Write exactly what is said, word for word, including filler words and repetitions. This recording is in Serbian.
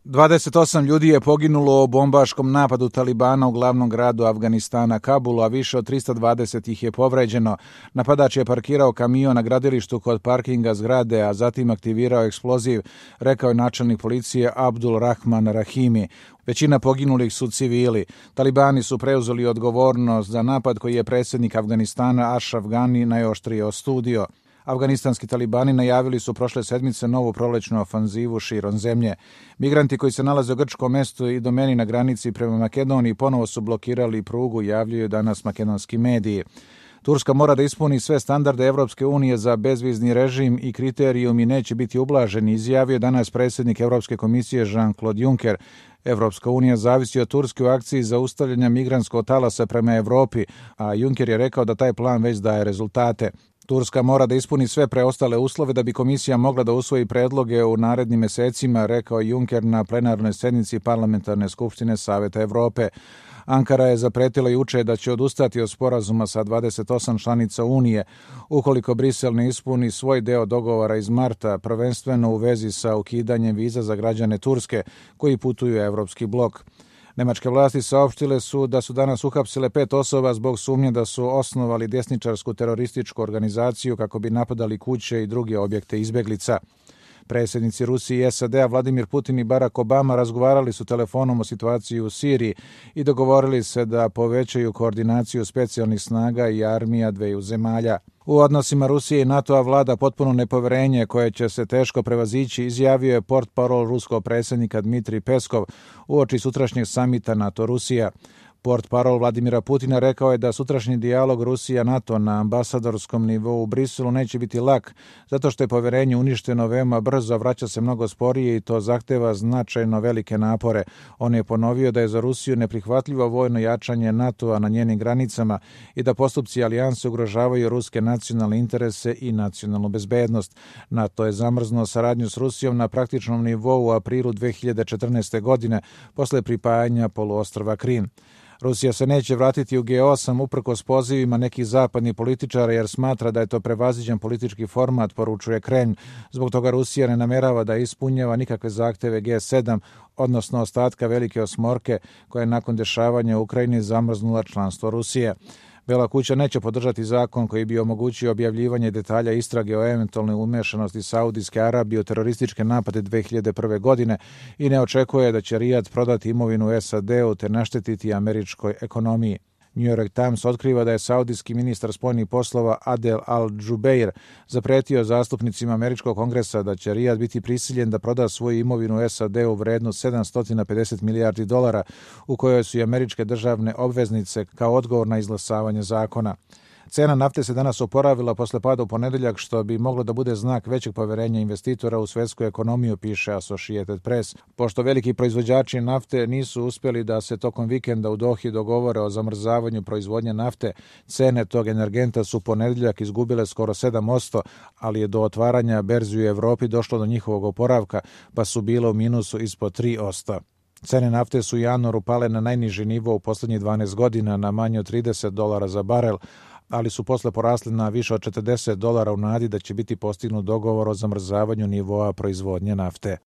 dvadeset osam ljudi je poginulo u bombaškom napadu Talibana u glavnom gradu Afganistana, Kabulu, a više od trista dvadeset ih je povređeno. Napadač je parkirao kamion na gradilištu kod parkinga zgrade, a zatim aktivirao eksploziv, rekao je načelnik policije Abdul Rahman Rahimi. Većina poginulih su civili. Talibani su preuzeli odgovornost za napad koji je predsjednik Afganistana Ashraf Ghani najoštrije osudio. Afganistanski talibani najavili su prošle sedmice novu prolećnu ofanzivu širom zemlje. Migranti koji se nalaze u grčkom mestu i domeni na granici prema Makedoniji ponovo su blokirali prugu, javljaju danas makedonski mediji. Turska mora da ispuni sve standarde Evropske unije za bezvizni režim i kriterijumi neće biti ublaženi, izjavio danas predsjednik Evropske komisije Jean-Claude Juncker. Evropska unija zavisi od Turske u akciji zaustavljanja migrantskog talasa prema Evropi, a Juncker je rekao da taj plan već daje rezultate. Turska mora da ispuni sve preostale uslove da bi komisija mogla da usvoji predloge u narednim mesecima, rekao Juncker na plenarnoj sednici Parlamentarne skupštine Saveta Evrope. Ankara je zapretila juče da će odustati od sporazuma sa dvadeset osam članica Unije ukoliko Brisel ne ispuni svoj deo dogovora iz marta, prvenstveno u vezi sa ukidanjem viza za građane Turske koji putuju u Evropski blok. Nemačke vlasti saopštile su da su danas uhapsile pet osoba zbog sumnje da su osnovali desničarsku terorističku organizaciju kako bi napadali kuće i druge objekte izbeglica. Predsjednici Rusije i S A D-a Vladimir Putin i Barack Obama razgovarali su telefonom o situaciji u Siriji i dogovorili se da povećaju koordinaciju specijalnih snaga i armija dveju zemalja. U odnosima Rusije i NATO-a vlada potpuno nepoverenje koje će se teško prevazići, izjavio je portparol ruskog predsjednika Dmitrij Peskov uoči sutrašnjeg samita NATO-Rusija. Portparol Vladimira Putina rekao je da sutrašnji dijalog Rusija-NATO na ambasadorskom nivou u Briselu neće biti lak, zato što je poverenje uništeno veoma brzo, vraća se mnogo sporije i to zahteva značajno velike napore. On je ponovio da je za Rusiju neprihvatljivo vojno jačanje NATO-a na njenim granicama i da postupci alijanse ugrožavaju ruske nacionalne interese i nacionalnu bezbednost. NATO je zamrznuo saradnju s Rusijom na praktičnom nivou u aprilu dve hiljade četrnaeste. godine posle pripajanja poluostrva Krim. Rusija se neće vratiti u G osam uprkos pozivima nekih zapadnih političara jer smatra da je to prevaziđen politički format, poručuje Kremlj. Zbog toga Rusija ne namerava da ispunjava nikakve zahteve G sedam, odnosno ostatka Velike osmorke koja je nakon dešavanja u Ukrajini zamrznula članstvo Rusije. Bela kuća neće podržati zakon koji bi omogućio objavljivanje detalja istrage o eventualnoj umešanosti Saudijske Arabije u terorističke napade dve hiljade prve. godine i ne očekuje da će Rijad prodati imovinu S A D-u te naštetiti američkoj ekonomiji. New York Times otkriva da je saudijski ministar spoljnih poslova Adel Al-Jubeir zapretio zastupnicima američkog kongresa da će Rijad biti prisiljen da proda svoju imovinu S A D-u vrednu sedamsto pedeset milijardi dolara u kojoj su i američke državne obveznice kao odgovor na izglasavanje zakona. Cena nafte se danas oporavila posle pada u ponedeljak, što bi moglo da bude znak većeg poverenja investitora u svetsku ekonomiju, piše Associated Press. Pošto veliki proizvođači nafte nisu uspjeli da se tokom vikenda u Dohi dogovore o zamrzavanju proizvodnje nafte, cene tog energenta su ponedeljak izgubile skoro sedam posto, ali je do otvaranja berzi u Evropi došlo do njihovog oporavka, pa su bile u minusu ispod tri posto. Cene nafte su u januaru pale na najniži nivo u poslednjih dvanaest godina na manje od trideset dolara za barel, ali su posle porasli na više od četrdeset dolara u nadi da će biti postignut dogovor o zamrzavanju nivoa proizvodnje nafte.